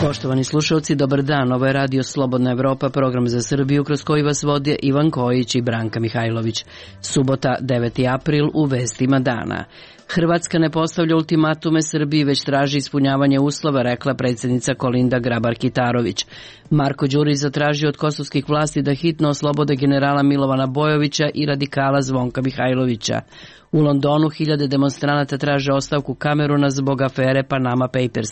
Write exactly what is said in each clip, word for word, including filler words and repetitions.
Poštovani slušalci, dobar dan. Ovo je Radio Slobodna Evropa, program za Srbiju kroz koji vas vode Ivan Kojić i Branka Mihajlović. Subota, deveti april, u vestima dana. Hrvatska ne postavlja ultimatume Srbiji, već traži ispunjavanje uslova, rekla predsjednica Kolinda Grabar-Kitarović. Marko Đurić zatražio od kosovskih vlasti da hitno oslobode generala Milovana Bojovića i radikala Zvonka Mihajlovića. U Londonu hiljade demonstranata traže ostavku Kameruna zbog afere Panama Papers.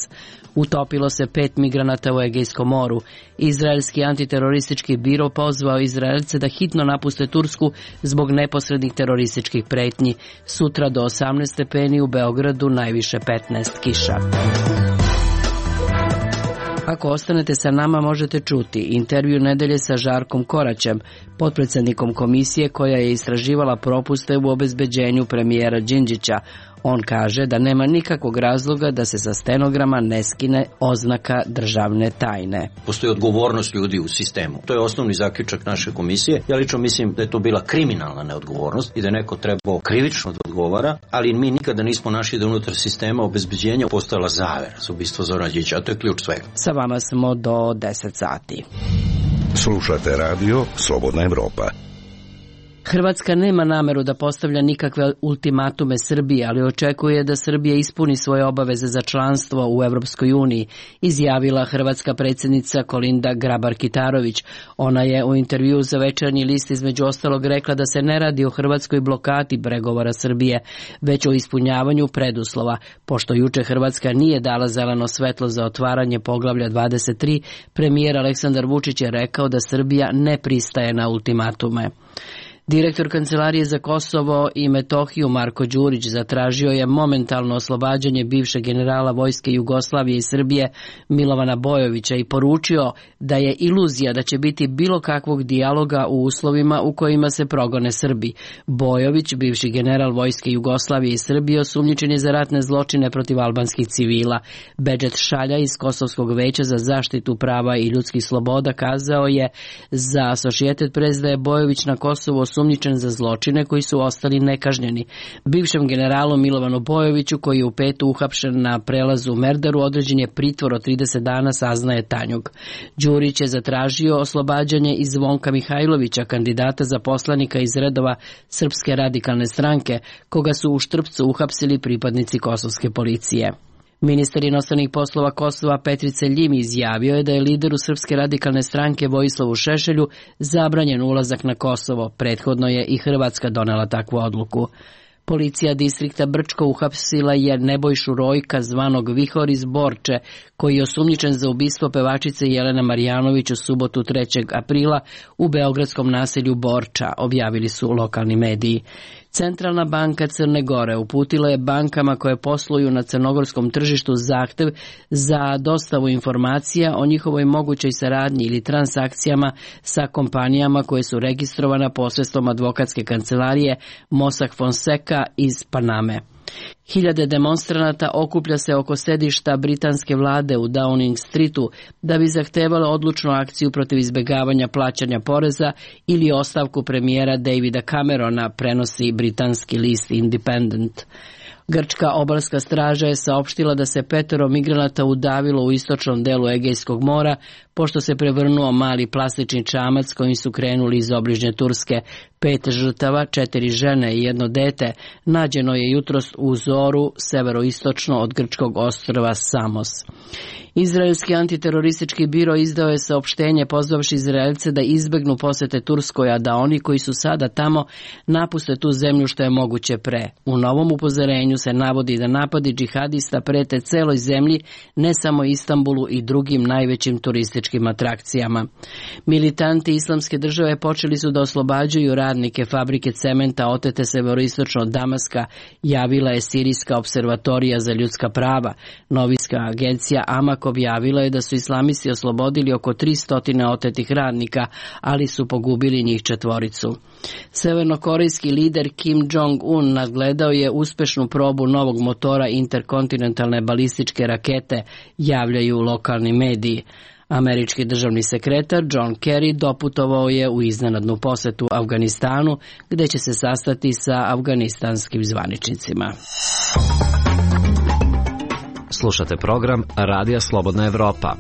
Utopilo se pet migranata u Egejskom moru. Izraelski antiteroristički biro pozvao Izraelce da hitno napuste Tursku zbog neposrednih terorističkih pretnji. Sutra do osamnaest stepeni, u Beogradu najviše petnaest, kiša. Ako ostanete sa nama, možete čuti intervju nedelje sa Žarkom Koraćem, potpredsjednikom komisije koja je istraživala propuste u obezbeđenju premijera Đinđića. On kaže da nema nikakvog razloga da se sa stenograma ne skine oznaka državne tajne. Postoji odgovornost ljudi u sistemu. To je osnovni zaključak naše komisije. Ja lično mislim da je to bila kriminalna neodgovornost i da je neko trebao krivično da odgovara, ali mi nikada nismo našli da unutar sistema obezbeđenja postojala zavera za ubistvo Zorana Đinđića, a to je ključ svega. Sa vama smo do deset sati. Slušate radio Slobodna Evropa. Hrvatska nema nameru da postavlja nikakve ultimatume Srbiji, ali očekuje da Srbija ispuni svoje obaveze za članstvo u Evropskoj uniji, izjavila hrvatska predsjednica Kolinda Grabar-Kitarović. Ona je u intervjuu za Večernji list između ostalog rekla da se ne radi o hrvatskoj blokadi pregovora Srbije, već o ispunjavanju preduslova. Pošto juče Hrvatska nije dala zeleno svetlo za otvaranje poglavlja dvadeset tri, premijer Aleksandar Vučić je rekao da Srbija ne pristaje na ultimatume. Direktor Kancelarije za Kosovo i Metohiju Marko Đurić zatražio je momentalno oslobađanje bivšeg generala Vojske Jugoslavije i Srbije Milovana Bojovića i poručio da je iluzija da će biti bilo kakvog dijaloga u uslovima u kojima se progone Srbi. Bojović, bivši general Vojske Jugoslavije i Srbije, osumnjičen je za ratne zločine protiv albanskih civila. Bedžet Šalja iz Kosovskog veća za zaštitu prava i ljudskih sloboda kazao je za Associated Press da je Bojović na Kosovu osumnjičen za zločine koji su ostali nekažnjeni. Bivšem generalu Milovanu Bojoviću, koji je u petu uhapšen na prelazu u Merdaru, određen je pritvor od trideset dana, saznaje Tanjug. Đurić je zatražio oslobađanje i Zvonka Mihajlovića, kandidata za poslanika iz redova Srpske radikalne stranke, koga su u Štrpcu uhapsili pripadnici kosovske policije. Ministar inostranih poslova Kosova Petrice Ljimi izjavio je da je lideru Srpske radikalne stranke Vojislavu Šešelju zabranjen ulazak na Kosovo. Prethodno je i Hrvatska donela takvu odluku. Policija distrikta Brčko uhapsila je Nebojšu Rojka, zvanog Vihor iz Borče, koji je osumnjičen za ubistvo pevačice Jelene Marjanović u subotu trećeg aprila u beogradskom naselju Borča, objavili su lokalni mediji. Centralna banka Crne Gore uputila je bankama koje posluju na crnogorskom tržištu zahtev za dostavu informacija o njihovoj mogućoj saradnji ili transakcijama sa kompanijama koje su registrovane posredstvom advokatske kancelarije Mossack Fonseca iz Paname. Hiljade demonstranata okuplja se oko sedišta britanske vlade u Downing Streetu da bi zahtevalo odlučnu akciju protiv izbjegavanja plaćanja poreza ili ostavku premijera Davida Camerona, prenosi britanski list Independent. Grčka obalska straža je saopštila da se petero migranata udavilo u istočnom delu Egejskog mora, pošto se prevrnuo mali plastični čamac kojim su krenuli iz obližnje Turske. Pet žrtava, četiri žene i jedno dete, nađeno je jutros u Zoru, severoistočno od grčkog ostrva Samos. Izraelski antiteroristički biro izdao je saopštenje pozvavši Izraelce da izbegnu posete Turskoj, a da oni koji su sada tamo napuste tu zemlju što je moguće pre. U novom upozorenju se navodi da napadi džihadista prete celoj zemlji, ne samo Istanbulu i drugim najvećim turističkim atrakcijama. Militanti Islamske države počeli su da oslobađaju radnike fabrike cementa otete severoistočno od Damaska, javila je Sirijska observatorija za ljudska prava. Novinska agencija Amak objavila je da su islamisti oslobodili oko tristo otetih radnika, ali su pogubili njih četvoricu. Severnokorejski lider Kim Jong-un nadgledao je uspešnu probu novog motora interkontinentalne balističke rakete, javljaju lokalni mediji. Američki državni sekretar John Kerry doputovao je u iznenadnu posetu Afganistanu, gde će se sastati sa afganistanskim zvaničnicima. Slušate program Radija Slobodna Evropa.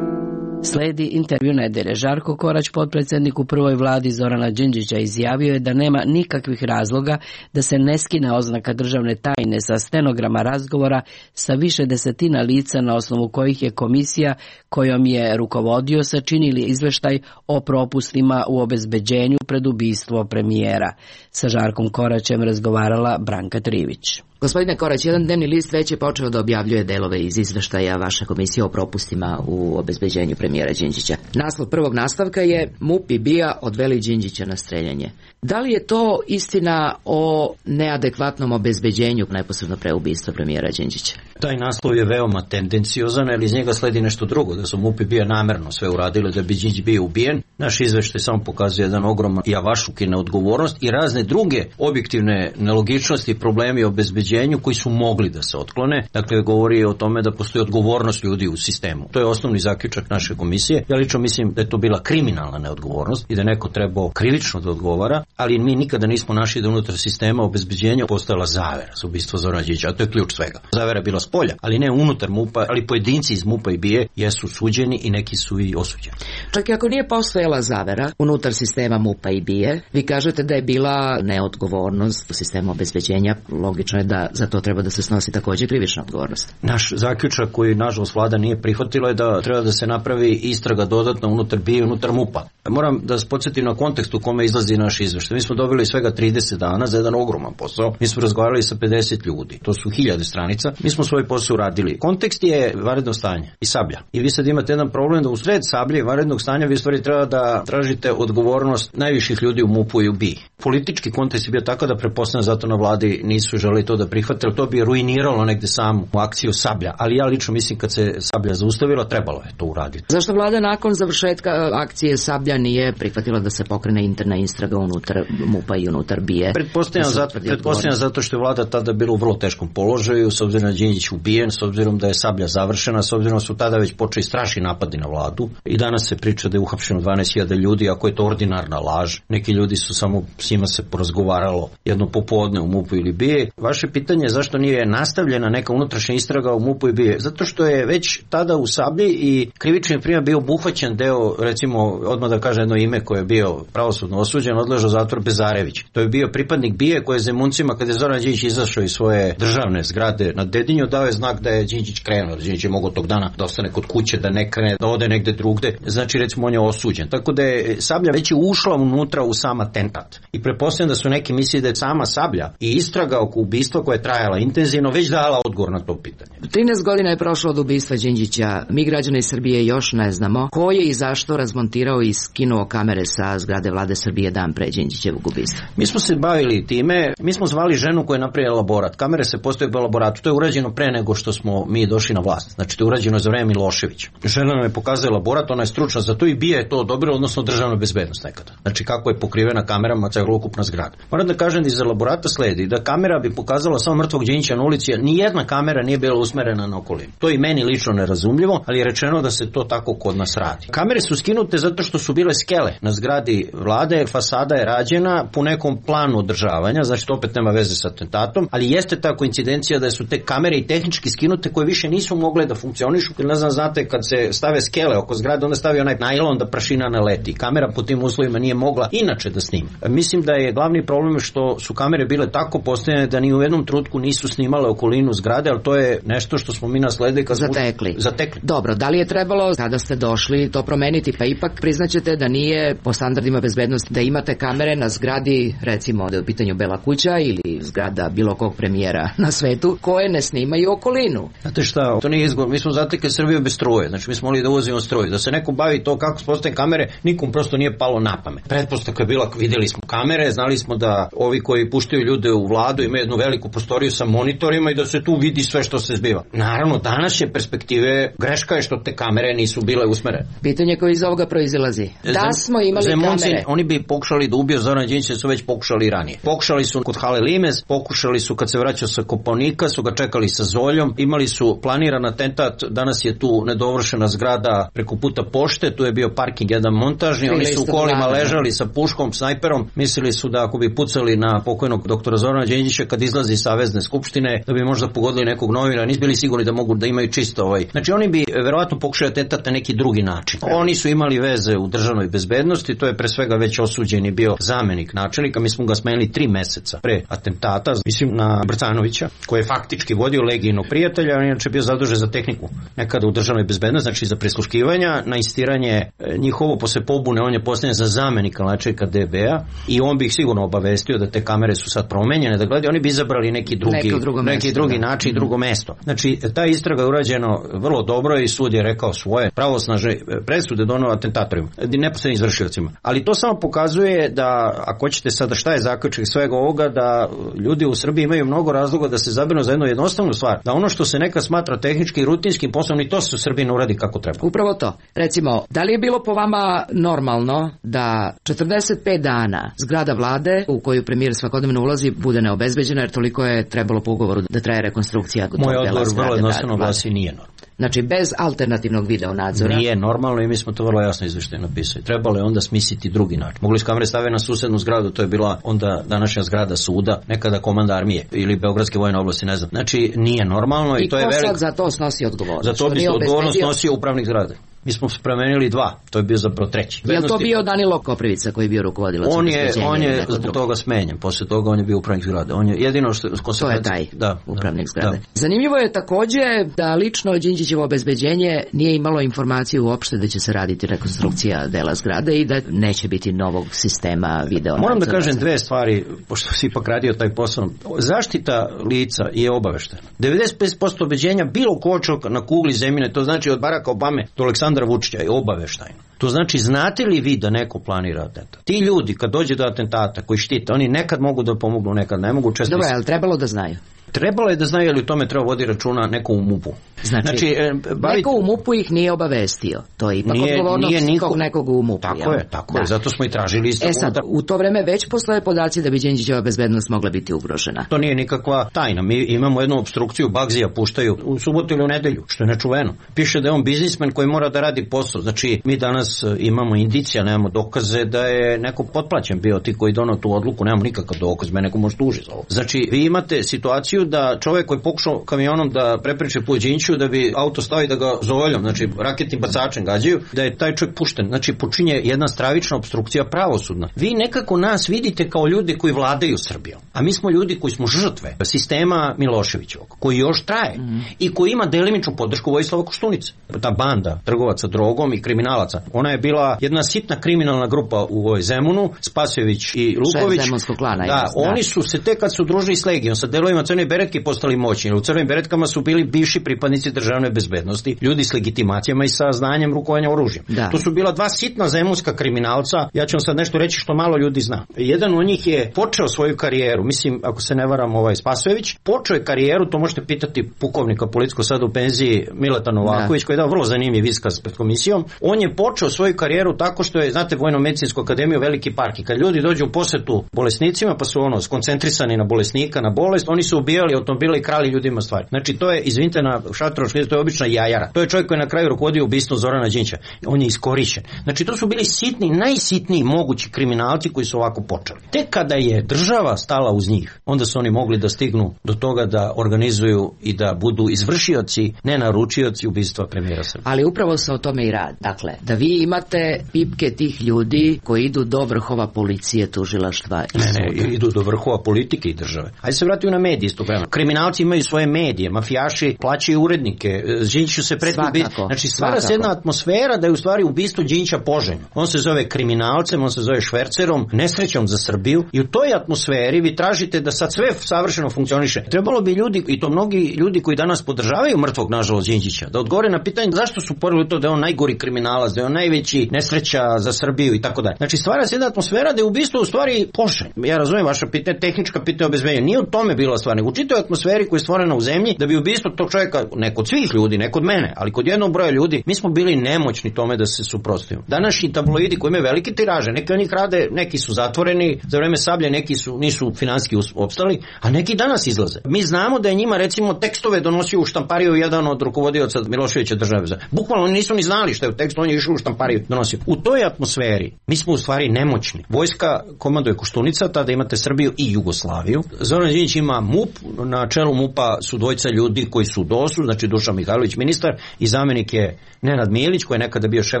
Sledi intervju nedelje. Žarko Korać, potpredsjednik u prvoj vladi Zorana Đinđića, izjavio je da nema nikakvih razloga da se ne skine oznaka državne tajne sa stenograma razgovora sa više desetina lica na osnovu kojih je komisija kojom je rukovodio sačinili izveštaj o propustima u obezbeđenju pred ubistvo premijera. Sa Žarkom Koraćem razgovarala Branka Trivić. Gospodine Korać, jedan dnevni list već je počeo da objavljuje delove iz izveštaja vaše komisije o propustima u obezbeđenju premijera Đinđića. Naslov prvog nastavka je MUP i B I A odveli Đinđića na streljanje. Da li je to istina o neadekvatnom obezbeđenju neposredno pre ubistva premijera Đinđića? Taj naslov je veoma tendenciozan, jer iz njega sledi nešto drugo, da su MUP i B I A namerno sve uradili da bi Đinđić bio ubijen. Naš izveštaj samo pokazuje jedan ogroman javašuk i neodgovornost i razne druge objektivne nelogičnosti i problemi obezbeđenja koji su mogli da se otklone. Dakle, govori o tome da postoji odgovornost ljudi u sistemu. To je osnovni zaključak naše komisije. Ja lično mislim da je to bila kriminalna neodgovornost i da neko trebao krivično da odgovara, ali mi nikada nismo našli da unutar sistema obezbeđenja postojala zavera za ubistvo Zorana Đinđića, a to je ključ svega. Zavera je bila spolja, ali ne unutar MUP-a, ali pojedinci iz MUP-a i B I A jesu suđeni i neki su i osuđeni. Čak i ako nije postojala zavera unutar sistema MUP-a i B I A, vi kažete da je bila neodgovornost u sistemu obezbeđenja. Logično je da za to treba da se snosi također krivična odgovornost. Naš zaključak koji nažalost vlada nije prihvatila je da treba da se napravi istraga dodatno unutar B I A i unutar MUP-a. Moram da se podsjetim na kontekst u kome izlazi naš izveštaj. Mi smo dobili svega trideset dana za jedan ogroman posao. Mi smo razgovarali sa pedeset ljudi. To su hiljade stranica. Mi smo svoj posao uradili. Kontekst je vanredno stanje i Sablja. I vi sad imate jedan problem da u sred Sablje i vanrednog stanja vi stvari treba da tražite odgovornost najviših ljudi u MUP-u i u B I A. Politički kontekst je bio tako da pretpostavljam zato na vladi nisu želi to da prihvatili. To bi ruiniralo negde samu akciju Sablja. Ali ja lično mislim kad se Sablja zaustavila, trebalo je to uraditi. Zašto vlada nakon završetka akcije Sablja nije prihvatila da se pokrene interna istraga unutar MUP-a i unutar B I A? Pretpostavljam, zato, pretpostavljam zato što je vlada tada bila u vrlo teškom položaju, s obzirom da je Đinđić ubijen, s obzirom da je Sablja završena, s obzirom da su tada već počeli strašni napadi na vladu. I danas se priča da je uhapšeno dvanaest hiljada ljudi, ako je to ordinarna laž. Neki ljudi su samo, s njima se porazgovaralo jedno popodne u MUP-u ili B I A. Vaše pitanje je zašto nije nastavljena neka unutrašnja istraga u MUP-u i B I A? Zato što je već tada u Sablji i krivični prijem bio obuhvaćen deo, recimo, odmah da kaže jedno ime koje je bio pravosudno osuđen, odležao zatvor Bezarević. To je bio pripadnik B I A koji je Zemuncima, kada je Zoran Đinđić izašao iz svoje državne zgrade na Dedinju, dao je znak da je Đinđić krenuo. Đinđić je mogao tog dana da ostane kod kuće, da ne krene, da ode negde drugde. Znači, recimo, on je osuđen. Tako da je Sablja već je ušla unutra u sam atentat. I pretpostavljam da su neki mislili da je sama Sablja i istraga oko ubistva koja je trajala intenzivno već dala odgovor na to pitanje. trinaest godina je prošlo od ubistva Đinđića. Mi građani Srbije još ne znamo ko je i zašto razmontirao i skinuo kamere sa zgrade vlade Srbije dan pre Đinđićevog ubistva. Mi smo se bavili time, mi smo zvali ženu koja je napravila elaborat. Kamere se postoje u elaboratu. To je urađeno pre nego što smo mi došli na vlast. Znači, to je urađeno za vreme Miloševića. Žena nam je pokazala elaborat, ona je stručna za to i B I A je to dobro, odnosno državna bezbednost nekada. Znači, kako je pokrivena kamerama celokupna zgrada. Moram da kažem da iz elaborata sledi da kamera bi pokazala samo mrtvog Đinđića na ulici, ni jedna kamera nije bila usmerena na okolinu. To je meni lično nerazumljivo, ali je rečeno da se to tako kod nas radi. Kamere su skinute zato što su bile skele na zgradi vlade, fasada je rađena po nekom planu održavanja, znači to opet nema veze sa atentatom, ali jeste ta koincidencija da su te kamere i tehnički skinute koje više nisu mogle da funkcionišu, jer ne znam, znate, kad se stave skele oko zgrade, onda stavi onaj najlon da prašina ne leti. Kamera po tim uslovima nije mogla inače da snima. Mislim da je glavni problem što su kamere bile tako postavljene da ni u jednom trenutku nisu snimale okolinu zgrade, ali to je nešto što smo mi nasledili kad smo zatekli. zatekli. Dobro, da li je trebalo kada ste došli to promeniti, pa ipak priznaćete da nije po standardima bezbednosti da imate kamere na zgradi, recimo da je u pitanju Bela kuća ili zgrada bilo kog premijera na svetu, koje ne snimaju okolinu. Znate šta, to nije izgovor, mi smo zatekli Srbiju bez struje, znači mi smo mogli da uvozimo struju, da se neko bavi to kako se postavljaju kamere, nikom prosto nije palo na pamet. Pretpostavka je bila, videli smo kamere, znali smo da ovi koji puštaju ljude u vladu imaju jednu veliku prostoriju sa monitorima i da se tu vidi sve što se zbiva. Naravno, danas je perspektive, greška je što te kamere nisu bile usmerene. Pitanje koje iz ovoga proizilazi. Da smo imali Zemunci, kamere. Oni bi pokušali da ubiju Zorana Đinđića, su već pokušali i ranije. Pokušali su kod Hale Limez, pokušali su kad se vraćao sa Kopaonika, su ga čekali sa Zoljom, imali su planiran atentat, danas je tu nedovršena zgrada preko puta pošte, tu je bio parking jedan montažni, oni su u kolima ležali sa puškom, snajperom, mislili su da ako bi pucali na pokojnog doktora Zorana Đinđića kad izlazi iz Savezne skupštine, da bi možda pogodili nekog novina, nisu bili sigurni da mogu da imaju čisto ovaj. Znači oni bi verovatno pokušali atentat na neki drugi način. Oni su imali veze u državnoj bezbednosti, to je pre svega već osuđeni bio zamenik načelnika, mi smo ga smenili tri meseca pre atentata, mislim na Brcanovića, koji je faktički vodio Legijinog prijatelja, on je inače bio zadužen za tehniku nekada u državnoj bezbednosti, znači za prisluškivanja, na insistiranje njihovo posle pobune, on je postavljen za zamenika načelnika D B-a i on bi ih sigurno obavestio da te kamere su sad promenjene, da gledaju, oni bi izabrali neki drugi, neki mesto, drugi da. način, drugo mesto. Znači, ta istraga je urađena vrlo dobro i sud je rekao svoje pravosnažne presude doneo atentatorima, neposrednim izvršiocima. Ali to samo pokazuje da, ako hoćete sada šta je zaključak svega ovoga, da ljudi u Srbiji imaju mnogo razloga da se zabrinu za jednu jednostavnu stvar, da ono što se nekad smatra tehnički i rutinskim poslom, i to se u Srbiji ne uradi kako treba. Upravo to. Recimo, da li je bilo po vama normalno da četrdeset pet dana zgrada vlade u koju premijer svakodnevno ulazi bude neobezbeđena, jer toliko je trebalo po ugovoru da traje rekonstrukcija tog dela zgrade? Moj odgovor vrlo jednostavno glasi nije normalno. Znači, bez alternativnog video nadzora. Nije normalno i mi smo to vrlo jasno izveštajno napisali. Trebalo je onda smisliti drugi način. Mogli su kamere staviti na susednu zgradu, to je bila onda današnja zgrada suda, nekada komanda armije ili Beogradske vojne oblasti, ne znam. Znači, nije normalno i, I to je veliko. I ko sad za to snosi odgovornost? Za to bi se odgovornost snosio upravnik zgrade. Mi smo promenili dva, to je bio zapravo treći. Je li to bio Danilo Koprivica koji je bio rukovodilac? On je, on je zbog toga smenjen, posle toga on je bio upravnik zgrade. On je jedino što... To je taj da, upravnik da, zgrade. Da. Zanimljivo je takođe da lično Đinđićevo obezbeđenje nije imalo informaciju uopšte da će se raditi rekonstrukcija dela zgrade i da neće biti novog sistema video. Moram da kažem dve stvari, pošto si ipak radio taj posao. Zaštita lica je obaveštena. devedeset pet posto obeđenja bilo kočog na kugli zemljine, to znači od Baracka Obame do Aleksandra Vučića je obaveštajno. To znači, znate li vi da neko planira atentat? Ti ljudi kad dođe do atentata koji štite, oni nekad mogu da pomognu, nekad ne mogu. Često. Dobro, je li trebalo da znaju? Trebalo je da znaju, ali u tome treba vodi računa neko u MUP-u. Znači, znači e, bavit... neko u MUP-u ih nije obavestio. To je ipak nije, odgovornost nije niko... nekog u MUP-u. Tako jel? je, tako da. je. Zato smo i tražili isto. E sad, u to vreme već postoje podaci da bi Đinđićeva bezbednost mogla biti ugrožena. To nije nikakva tajna. Mi imamo jednu opstrukciju, Bagzija puštaju u subotu ili u nedelju, što je nečuveno. Piše da je on biznismen koji mora da radi posao. Znači, mi danas imamo indicija, nemamo dokaze da je neko potplaćen bio ti koji donao tu odluku, nemamo nikakav dokaz, me neko može tuži za ovo. Znači, vi imate situaciju da čovjek koji pokušao kamionom da prepriče po Đinđiću da bi auto stavi da ga zovoljom, znači raketnim bacačem gađaju, da je taj čovjek pušten. Znači počinje jedna stravična opstrukcija pravosudna. Vi nekako nas vidite kao ljudi koji vladaju Srbijom, a mi smo ljudi koji smo žrtve sistema Miloševićevog, koji još traje mm. i koji ima delimičnu podršku Vojislava Koštunice. Ta banda trgovaca drogom i kriminalaca, ona je bila jedna sitna kriminalna grupa u ovoj Zemunu, Spasojević i Luković. Klana, da, jest, oni da. su se tek kad su družili s Legijom, sa delovima Crne beretke postali moćni. U Crvenim beretkama su bili bivši pripadnici državne bezbednosti, ljudi s legitimacijama i sa znanjem rukovanja oružjem. Da. To su bila dva sitna zemunska kriminalca. Ja ću vam sad nešto reći što malo ljudi zna. Jedan od njih je počeo svoju karijeru, mislim, ako se ne varam, ovaj Spasojević, počeo je karijeru, to možete pitati pukovnika policijskog sada u penziji Mileta Novaković, da. koji je dao vrlo zanimljiv iskaz pred komisijom. On je počeo svoju karijeru tako što je, znate, Vojno-medicinsku akademiju Veliki park, i kad ljudi dođu u posetu bolesnicima, pa su ono skoncentrisani na bolesnika, na bolest, oni su ubijali automobile i krali ljudima stvari. Znači to je, izvinite na šatroški, to je obična jajara. To je čovjek koji je na kraju rukovodio ubistvom Zorana Đinđića. On je iskorišćen. Znači to su bili sitni, najsitniji mogući kriminalci koji su ovako počeli. Tek kada je država stala uz njih, onda su oni mogli da stignu do toga da organizuju i da budu izvršioci, ne naručioci ubistva premijera Srbije. Ali upravo se o tome i radi. Dakle, da vi imate pipke tih ljudi koji idu do vrhova policije, tužilaštva i ne, ne, idu do vrhova politike i države. Ajde se vratimo na medije isto. vremena. Kriminalci imaju svoje medije, mafijaši plaćaju urednike, Đinđiću se preti ubistvo. Znači stvara se jedna atmosfera da je u stvari ubistvo Đinđića poželjno. On se zove kriminalcem, on se zove švercerom, nesrećom za Srbiju i u toj atmosferi vi tražite da sad sve savršeno funkcioniše. Trebalo bi ljudi, i to mnogi ljudi koji danas podržavaju mrtvog nažalost Đinđića, da odgovore na pitanje zašto su porili to da je on najgori kriminalac, da je on najveći nesreća za Srbiju i tako dalje. Znači stvara se jedna atmosfera da je ubistvo u stvari poželjno. Ja razumijem vaša pitanja, tehnička pitanja obezbeđenja. Nije u tome bila stvar, nego u čitoj atmosferi koja je stvorena u zemlji da bi ubistvo tog čovjeka, ne kod svih ljudi, ne kod mene, ali kod jednog broja ljudi, mi smo bili nemoćni tome da se suprotstavimo. Današnji tabloidi koji imaju velike tiraže, neki od njih rade, neki su zatvoreni za vreme Sablje, neki su nisu finansijski opstali, a neki danas izlaze. Mi znamo da je njima recimo tekstove donosio u štampariju jedan od rukovodioca Miloševića države. Bukvalno oni nisu ni znali šta je u tekstu, on je išao u štampariju donosio. U toj atmosferi mi smo u stvari nemoćni. Vojska komanduje Koštunica, tada imate Srbiju i Jugoslaviju. Zoran Đinđić ima MUP, na čelu MUP-a su dvojica ljudi koji su u dosu, znači Dušan Mihajlović ministar i zamjenik je Nenad Milić koji je nekada bio šef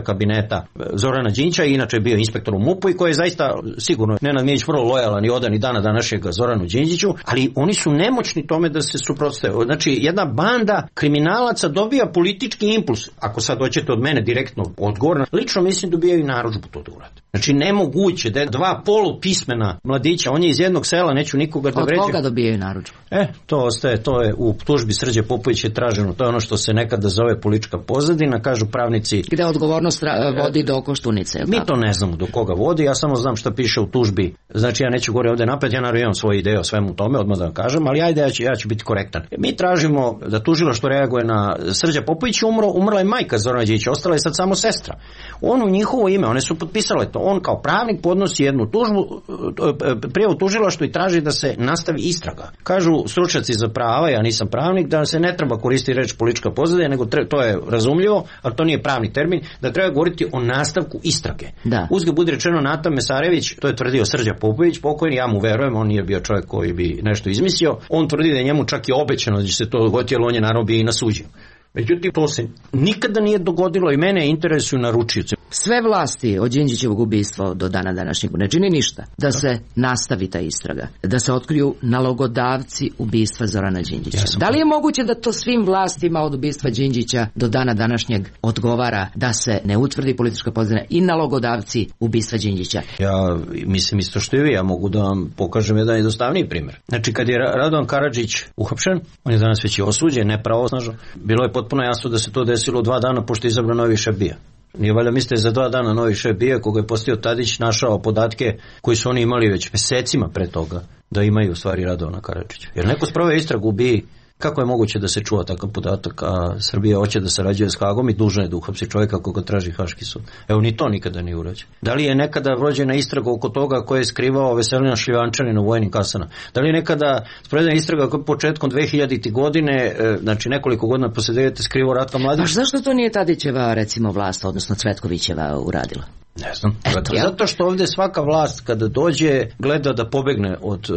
kabineta Zorana Đinđića i inače je bio inspektor u MUP-u i koji je zaista sigurno Nenad Milić vrlo lojalan i odan i dana današnjeg Zoranu Đinđiću, ali oni su nemoćni tome da se suprotstave. Znači jedna banda kriminalaca dobija politički impuls. Ako sad hoćete od mene direktno odgovor, lično mislim dobijaju i narudžbu to da urade. Znači nemoguće da je dva polupismena mladića, on je iz jednog sela, neću nikoga da vređe. Od koga dobijaju narudžbu? E, to ostaje, to je u tužbi Srđe Popović je traženo, to je ono što se nekada zove politička pozadina, kažu pravnici. Gde odgovornost vodi do Koštunice, je li mi tako? to ne znamo do koga vodi, ja samo znam šta piše u tužbi, znači ja neću gore ovde napred, ja naravno imam svoje ideje o svemu tome, odmah da vam kažem, ali ajde ja ću, ja ću biti korektan. Mi tražimo da tužilaštvo reaguje na Srđa Popović, umro, umrla je majka Zorana Đinđića, ostala je sad samo sestra. On u njihovo ime, one su potpisale to, on kao pravnik podnosi jednu tužbu, prijavu tužilaštvu i traži da se nastavi istraga. Kažu stručnjaci za prava, ja nisam pravnik, da se ne treba koristiti reč politička pozadina, nego tre, to je razumljivo, ali to nije pravni termin, da treba govoriti o nastavku istrage. Da. Uzgled budi rečeno, Nata Mesarević, to je tvrdio Srđa Popović, pokojni, ja mu verujem, on nije bio čovjek koji bi nešto izmislio, on tvrdi da je njemu čak i obećano da će se to dogoditi, jer on je naravno bio i nasuđen. Međutim, to se nikada nije dogodilo i mene interesuju naručioci. Sve vlasti od Đinđićevog ubistva do dana današnjeg ne čini ništa da se nastavi ta istraga, da se otkriju nalogodavci ubistva Zorana Đinđića. Ja da li je moguće da to svim vlastima od ubistva Đinđića do dana današnjeg odgovara da se ne utvrdi politička pozadina i nalogodavci ubistva Đinđića? Ja mislim isto što i vi, ja mogu da vam pokažem jedan jednostavniji primjer. Znači kad je Radovan Karadžić uhapšen, on je danas već i osuđen, nepravosnažno, bilo je potpuno jasno da se to desilo dva dana pošto je izabran novi šef BIA. Nije valjda mislite za dva dana novi šef BIA koga je postao Tadić našao podatke koji su oni imali već mesecima pre toga da imaju u stvari Radovana Karadžića. Jer neko sproveo istragu u BIA, kako je moguće da se čuva takav podatak, a Srbija hoće da sarađuje s Hagom i dužna je da uhapsi čovjeka koga traži Haški sud. Evo ni to nikada nije urađeno. Da li je nekada vođena istraga oko toga ko je skrivao Veselina Šljivančanina u vojnim kasama? Da li je nekada sprovedena istraga koja početkom dve hiljadite godine, znači nekoliko godina posle devete skrivao Ratka Mladića? Baš zašto to nije Tadićeva recimo vlast, odnosno Cvetkovićeva uradila? Ne znam. Zato, zato što ovdje svaka vlast kada dođe gleda da pobegne od,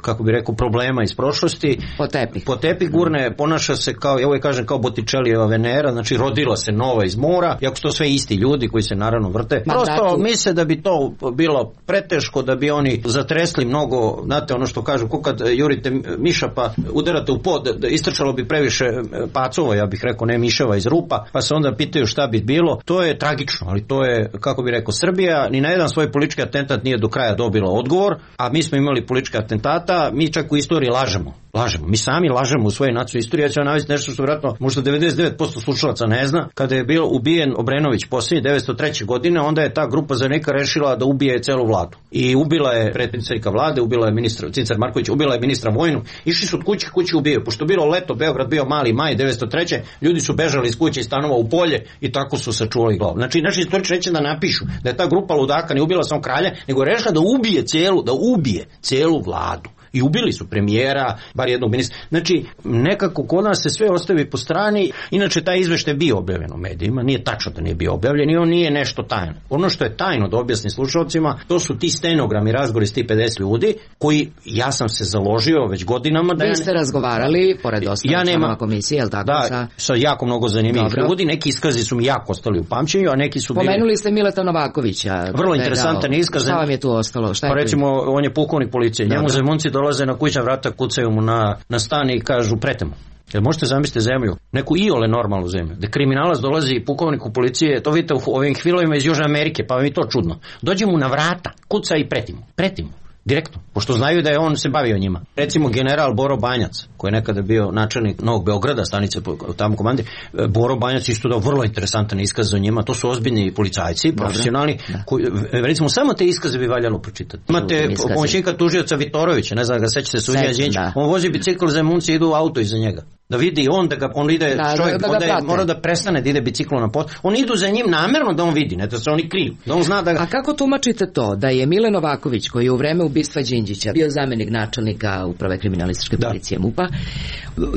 kako bi rekao, problema iz prošlosti. Po tepih. Po tepih gurne, ponaša se kao, ja uvijek kažem, kao Botticellijeva Venera, znači rodila se nova iz mora, iako su to sve isti ljudi koji se naravno vrte. Ma prosto datu. Misle da bi to bilo preteško, da bi oni zatresli mnogo, znate ono što kažu, ko kad jurite miša pa udarate u pod, da istrčalo bi previše pacova, ja bih rekao, ne miševa iz rupa, pa se onda pitaju šta bi bilo. To je tragično, ali to je, kako bi rekao, Srbija ni na jedan svoj politički atentat nije do kraja dobila odgovor, a mi smo imali političke atentata, mi čak u istoriji lažemo. Lažemo. Mi sami lažemo u svojoj nacionalnoj istoriji. Ja ću vam navesti nešto što vjerojatno možda devedeset devet posto slušalaca ne zna. Kada je bio ubijen Obrenović posljednje devetsto treće godine, onda je ta grupa zanika rešila da ubije celu vladu. I ubila je predsjednika vlade, ubila je ministra Cincar Marković, ubila je ministra vojnu. Išli su od kuće kuće ubijaju. Pošto bilo leto, Beograd bio mali maj devetsto treće ljudi su bežali iz kuće i stanova u polje i tako su sačuvali glavu. Znači naši istoričari neće da napišu da je ta grupa ludaka ne ubila samo kralja, nego je rešila da ubije celu, da ubije celu vladu. I ubili su premijera, bar jednog ministra. Znači, nekako kod nas se sve ostavi po strani. Inače, taj izveštaj je bio objavljen u medijima. Nije tačno da nije bio objavljen i on nije nešto tajno. Ono što je tajno da objasni slušalcima, to su ti stenogrami, razgovori s ti pedeset ljudi, koji, ja sam se založio već godinama. Da Vi ste ja... razgovarali, pored ostalih ja članova komisije, jel tako? Da, sa... sa jako mnogo zanimljivih ljudi. Neki iskazi su mi jako ostali u pamćenju, a neki su bili... Pomenuli ste Mileta Novakovića. Vrlo interesantan iskaz. Šta vam je tu ostalo? Šta je pa recimo, on je pukovnik policije. Njemu za Munci dolaze na kućna vrata, kucaju mu na, na stan i kažu pretemu. Jel možete zamisliti zemlju, neku iole normalnu zemlju, da kriminalac dolazi pukovniku policije, to vidite u ovim filovima iz Južne Amerike, pa vam je to čudno. Dođe mu na vrata, kuca i pretimu, pretimu. Direktno, pošto znaju da je on se bavio njima. Recimo general Boro Banjac, koji je nekada bio načelnik Novog Beograda, stanice tamo komande, Boro Banjac isto dao vrlo interesantan iskaz o njima, to su ozbiljni policajci, profesionalni, koji, recimo samo te iskaze bi valjalo pročitati. Imate pomoćnika tužioca Vitorovića, ne znam da ga sećate, sudija Đinđić, on vozi bicikl, Zemunci idu u auto iza njega. Da vidi on da ga, on ide, da, čovjek, da, da onda je, mora da prestane da ide biciklom na pot. On idu za njim namerno da on vidi, ne da se oni kriju. Da on zna da ga... A kako tumačite to da je Mile Novaković, koji je u vreme ubistva Đinđića bio zamenik načelnika uprave kriminalističke policije MUP-a,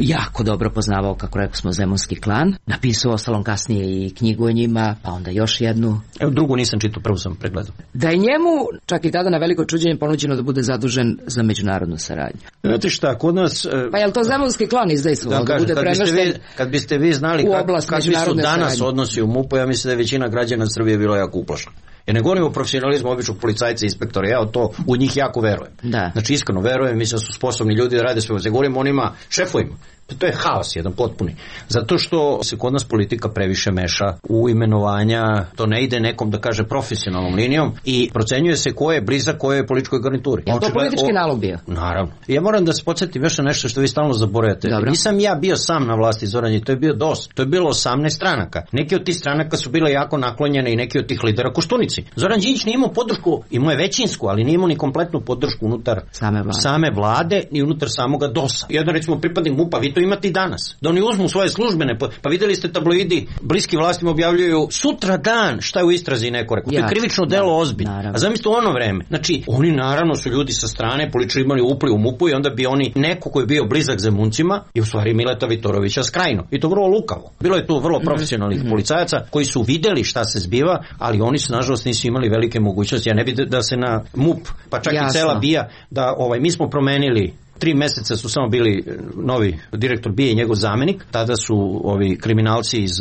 jako dobro poznavao, kako rekao smo, zemunski klan, napisao ostalom kasnije i knjigu o njima, pa onda još jednu. Evo drugu nisam čitao, prvo sam pregledao. Da je njemu čak i tada na veliko čuđenje ponuđeno da bude zadužen za međunarodnu saradnju. Znate šta, kod nas... Pa je li to zemunski klan izdejstvovao? Da, kažem, kad, biste vi, kad biste vi znali kakvi su danas saradnje. Odnosi u MUP-u, ja mislim da je većina građana Srbije bilo jako uplašena. Ja ne govorim o profesionalizmu običnog policajca i inspektora, ja to u njih jako verujem. Da. Znači iskreno verujem, mislim da su sposobni ljudi da rade sve. Ne govorim o onima šefovima. To je haos jedan potpuni. Zato što se kod nas politika previše meša u imenovanja, to ne ide nekom da kaže profesionalnom linijom i procenjuje se ko je blizak kojoj političkoj garnituri. Je to politički nalog bio? Naravno. Ja moram da se podsjetim još na nešto što vi stalno zaboravljate. Dobro. Nisam ja bio sam na vlasti, Zoran, to je bio dosta. To je bilo osamnaest stranaka. Neki od tih stranaka su bile jako naklonjene i neki od tih lidera Koštunici. Zoran Đinđić nije imao podršku, imao je većinsku, ali nije imao ni kompletnu podršku unutar same vlade, same vlade ni unutar samoga dosa. Jedan recimo pripadnik MUP-a, vi to imate i danas. Da oni uzmu svoje službene, pa videli ste tabloidi, bliski vlastima objavljuju sutra dan šta je u istrazi neko rekao. To je krivično delo ozbiljno. A zamislite u ono vreme. Znači, oni naravno su ljudi sa strane, političari imali upli u MUP-u i onda bi oni, neko koji je bio blizak Zemuncima, i u stvari Mileta Vitorovića skrajno. I to vrlo lukavo. Bilo je tu vrlo profesionalnih mm-hmm. policajaca koji su videli šta se zbiva, ali oni su nažalost nisu imali velike mogućnosti. Ja ne bi da se na MUP, pa čak Jasno. I cela bija, da ovaj, mi smo promenili tri meseca su samo bili novi direktor B I A i njegov zamenik, tada su ovi kriminalci iz,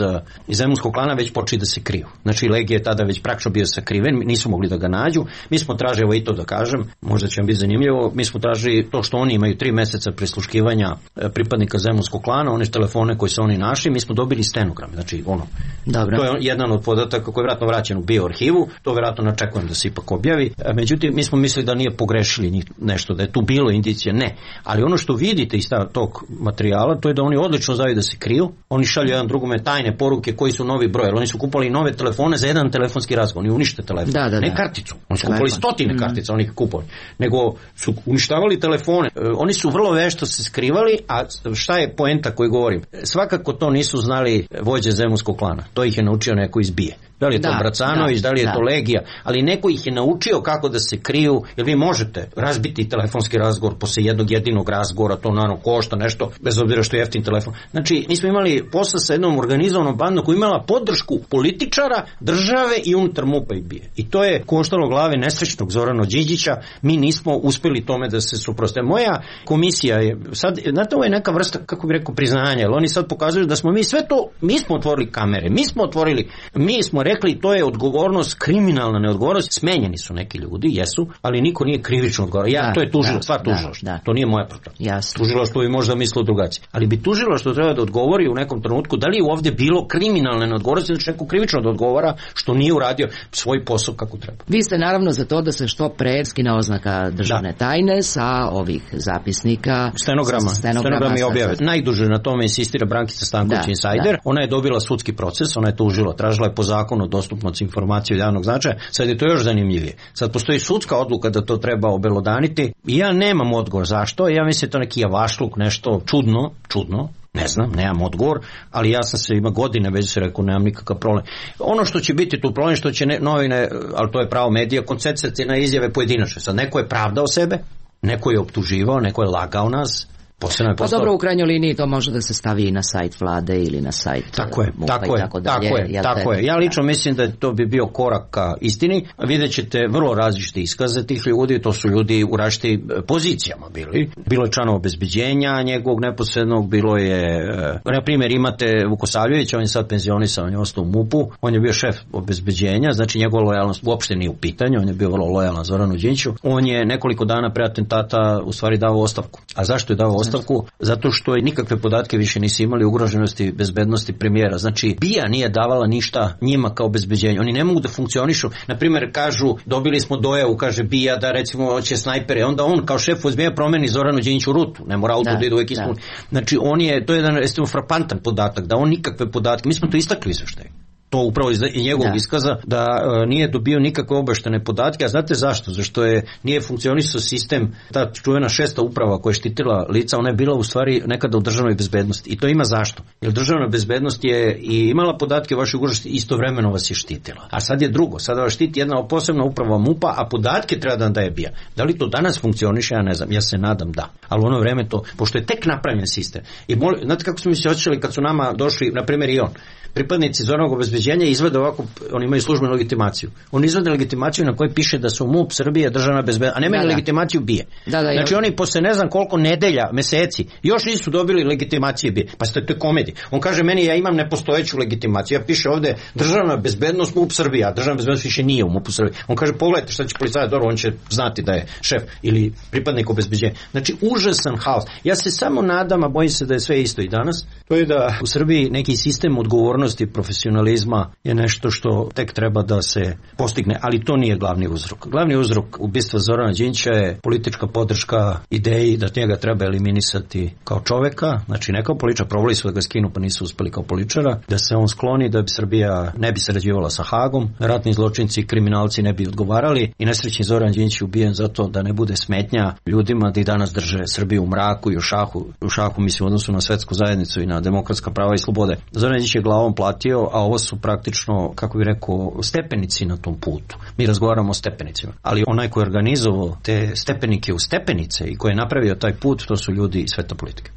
iz zemunskog klana već počeli da se kriju. Znači Legija je tada već praktično bio sakriven, nisu mogli da ga nađu. Mi smo tražili, evo i to da kažem, možda će vam biti zanimljivo, mi smo tražili to što oni imaju tri meseca prisluškivanja pripadnika zemunskog klana, one telefone koje su oni našli, mi smo dobili stenogram. Znači ono, Dobro. To je jedan od podataka koji je vjerojatno vraćen u bioarhivu, to vjerojatno načekujem da se ipak objavi. Međutim, mi smo mislili da nije pogrešili nešto, da je tu bilo indicije, ne. Ali ono što vidite iz tog materijala, to je da oni odlično znaju da se kriju. Oni šalju jedan drugome tajne poruke koji su novi broj. Oni su kupali nove telefone za jedan telefonski razgovor. Oni unište telefon. Da, da, ne da. karticu. Oni su kupali stotine mm. kartica, oni ih kupovali. Nego su uništavali telefone. Oni su vrlo vešto se skrivali, a šta je poenta koju govorim? Svakako to nisu znali vođe zemunskog klana. To ih je naučio neko iz B I A. Da li je to da, Bracanović, da, da li je da. to Legija, ali neko ih je naučio kako da se kriju, jer vi možete razbiti telefonski razgovor posle jednog jedinog razgovora, to naravno košta nešto, bez obzira što je jeftin telefon. Znači, mi smo imali posla sa jednom organizovanom bandom koja imala podršku političara, države i unutar MUP-a i B I A. I to je koštalo glave nesrećnog Zorana Đinđića, mi nismo uspeli tome da se suproste. Moja komisija je, sad, znate, ovo je neka vrsta, kako bi rekao, priznanja, jer oni sad pokazuju da smo mi sve to, mi smo otvorili kamere, mi smo otvorili, mi smo rekli, to je odgovornost, kriminalna neodgovornost. Smenjeni su neki ljudi, jesu, ali niko nije krivično odgovoran. Ja, da, to je tužilo, stvar tužilaštva. To nije moja problem. Tužilaštvo bi možda mislilo drugačije. Ali bi tužilaštvo treba da odgovori u nekom trenutku da li je ovdje bilo kriminalne neodgovornosti, znači neko krivično da odgovara što nije uradio svoj posao kako treba. Vi ste naravno za to da se što pre skine oznaka državne da. tajne sa ovih zapisnika. Stenograma. Stenograma je objave. Najduže na tome insistira Brankica Stanković da, Insider. Da. Ona je dobila sudski proces, ona je tužila, tražila je po zakonu dostupnost informacije od javnog značaja. Sad je to još zanimljivije. Sad postoji sudska odluka da to treba obelodaniti i ja nemam odgovor zašto. Ja mislim da je to neki javašluk, nešto čudno, čudno. Ne znam, nemam odgovor, ali ja sam se ima godine već se rekao, nemam nikakav problem. Ono što će biti tu problem, što će ne, novine, ali to je pravo medija, koncentrati na izjave pojedinačne. Sad neko je pravdao sebe, neko je optuživao, neko je lagao nas, Posebno je pa dobro, u krajnjoj liniji to može da se stavi i na sajt vlade ili na sajt tako je, MUP-a tako i je, tako dalje. Tako je, tako je. Ja lično mislim da to bi bio korak ka istini. Vidjet ćete vrlo različite iskaze tih ljudi, to su ljudi u različitim pozicijama bili. Bilo je članova obezbeđenja njegovog neposrednog, bilo je, na primjer imate Vukosavljevića, on je sad penzionisan, on je ostao u MUP-u, on je bio šef obezbeđenja, znači njegova lojalnost uopšte nije u pitanju, on je bio vrlo lojalan Zoranu Đinđiću. On je nekoliko dana pre atentata u stvari dao ostavku. A zašto je dao ostavku? Zato što je nikakve podatke više nisu imali ugroženosti bezbednosti premijera. Znači, B I A nije davala ništa njima kao obezbeđenje. Oni ne mogu da funkcionišu. Na primjer, kažu, dobili smo dojavu, kaže B I A da recimo hoće snajpere, onda on kao šef obezbeđenja promeni Zoranu Đinđiću rutu. Ne mora auto da ide uvek ispuni. Znači, on je, to je jedan recimo frapantan podatak, da on nikakve podatke, mi smo to istakli izveštaj. To upravo iz njegovog da. iskaza da e, nije dobio nikakve obaštene podatke, a znate zašto? Zašto je nije funkcionisao sistem, ta čuvena šesta uprava koja je štitila lica, ona je bila u stvari nekada u državnoj bezbednosti. I to ima zašto? Jer državna bezbednost je i imala podatke o vašoj ugroženosti, istovremeno vas je štitila. A sad je drugo, sada vas štiti jedna posebna uprava MUP-a, a podatke treba da daje B I A. Da li to danas funkcioniše, ja ne znam, ja se nadam da. Ali u ono vreme to, pošto je tek napravljen sistem. I mol, znate kako smo mi se osjećali kad su nama došli, na primjer i on, pripadnici Zoranog obezbeđenja izvede ovako, oni imaju službenu legitimaciju. Oni izvede legitimaciju na kojoj piše da su MUP, Srbija, državna bezbednost, a nemaju da, da. legitimaciju B I A. Da, da, znači oni posle ne znam koliko nedelja, meseci, još nisu dobili legitimacije B I A. Pa ste to je komedija. On kaže meni ja imam nepostojeću legitimaciju. Ja piše ovde državna bezbednost MUP Srbija, državna bezbednost više nije u MUP Srbiji. On kaže pogledajte šta će policajac, dobro, on će znati da je šef ili pripadnik obezbeđenja. Znači užasan haos. Ja se samo nadam, a bojim se da je sve isto i danas. To je da u Srbiji neki sistem odgovornosti, profesionalizma je nešto što tek treba da se postigne, ali to nije glavni uzrok. Glavni uzrok ubistva Zorana Đinđića je politička podrška ideji da njega treba eliminisati kao čoveka, znači ne kao političar, probali su da ga skinu pa nisu uspeli kao političara, da se on skloni, da bi Srbija ne bi sarađivala sa Hagom, ratni zločinci i kriminalci ne bi odgovarali i nesrećni Zoran Đinđić je ubijen zato da ne bude smetnja ljudima da i danas drže Srbiju u mraku i u šahu, u šahu mislim u odnosu na svetsku zajednicu i na demokratska prava i slobode. Zoran Đinđić je glavom platio, a ovo su praktično, kako bih rekao, stepenici na tom putu. Mi razgovaramo o stepenicima, ali onaj koji je organizovao te stepenike u stepenice i koji je napravio taj put, to su ljudi iz sveta politike.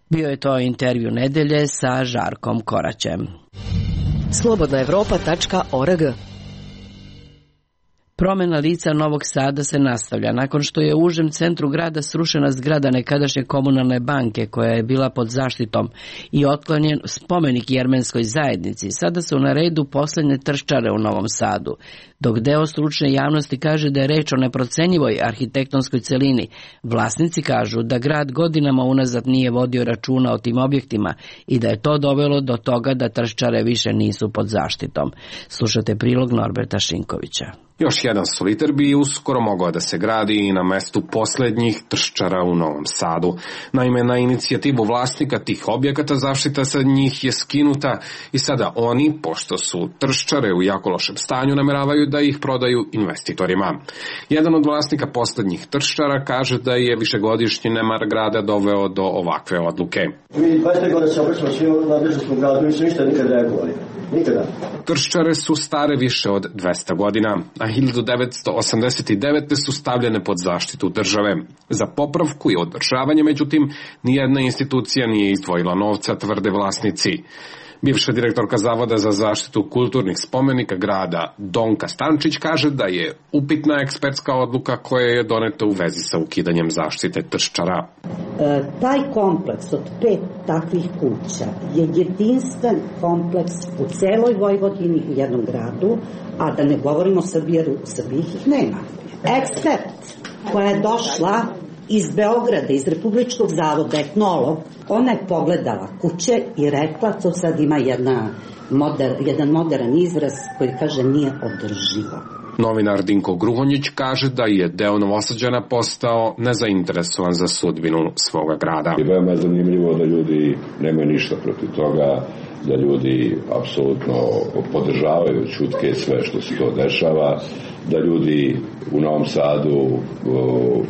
Bio je to intervju nedelje sa Žarkom Koraćem. slobodna evropa tačka org. Promena lica Novog Sada se nastavlja. Nakon što je u užem centru grada srušena zgrada nekadašnje komunalne banke koja je bila pod zaštitom i otklonjen spomenik jermenskoj zajednici, sada su na redu poslednje trščare u Novom Sadu. Dok deo stručne javnosti kaže da je reč o neprocenjivoj arhitektonskoj celini, vlasnici kažu da grad godinama unazad nije vodio računa o tim objektima i da je to dovelo do toga da trščare više nisu pod zaštitom. Slušate prilog Norberta Šinkovića. Još jedan soliter bi uskoro mogao da se gradi i na mestu poslednjih trščara u Novom Sadu. Naime, na inicijativu vlasnika tih objekata zaštita sa njih je skinuta i sada oni, pošto su trščare u jako lošem stanju, nameravaju da ih prodaju investitorima. Jedan od vlasnika poslednjih trščara kaže da je višegodišnji nemar grada doveo do ovakve odluke. Mi dvadeset godina se obraćamo svim nadležnostima gradu, nisu ništa nikad reagovali. Nikada. Trščare su stare više od dvesta godina, a hiljadu devetsto osamdeset devete su stavljene pod zaštitu države. Za popravku i održavanje, međutim, nijedna institucija nije izdvojila novca, tvrde vlasnici. Bivša direktorka Zavoda za zaštitu kulturnih spomenika grada Donka Stančić kaže da je upitna ekspertska odluka koja je doneta u vezi sa ukidanjem zaštite trščara. E, taj kompleks od pet takvih kuća je jedinstven kompleks u celoj Vojvodini u jednom gradu, a da ne govorimo o Srbiji, jer u Srbiji ih nema. Ekspert koja je došla iz Beograda, iz Republičkog zavoda, etnolog, ona je pogledala kuće i rekla, to sad ima jedna moder, jedan modern izraz koji kaže nije održivo. Novinar Dinko Gruhonjić kaže da je deo Novosađana postao nezainteresovan za sudbinu svoga grada. I veoma je zanimljivo da ljudi nemaju ništa protiv toga, da ljudi apsolutno podržavaju ćutke sve što se to dešava, da ljudi u Novom Sadu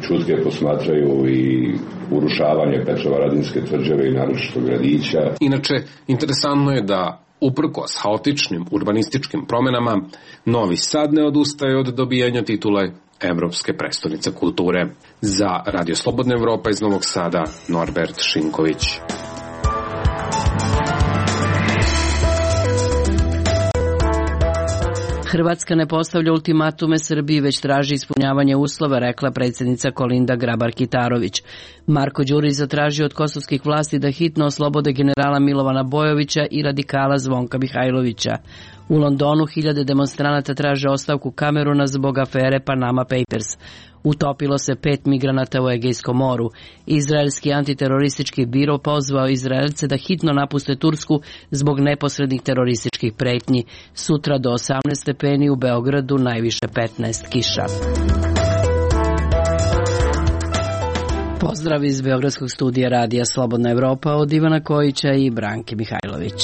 ćutke posmatraju i urušavanje Petrovaradinske tvrđave i naročito gradića. Inače, interesantno je da Uprkos haotičnim urbanističkim promenama, Novi Sad ne odustaje od dobijanja titule Evropske prestonice kulture. Za Radio Slobodna Evropa iz Novog Sada, Norbert Šinković. Hrvatska ne postavlja ultimatume Srbiji, već traži ispunjavanje uslova, rekla predsjednica Kolinda Grabar-Kitarović. Marko Đurić zatražio od kosovskih vlasti da hitno oslobode generala Milovana Bojovića i radikala Zvonka Mihajlovića. U Londonu hiljade demonstranata traže ostavku Kameruna zbog afere Panama Papers. Utopilo se pet migranata u Egejskom moru. Izraelski antiteroristički biro pozvao Izraelce da hitno napuste Tursku zbog neposrednih terorističkih pretnji. Sutra do osamnaest stepeni, u Beogradu najviše petnaest, kiša. Pozdrav iz Beogradskog studija Radija Slobodna Evropa od Ivana Kojića i Branke Mihajlović.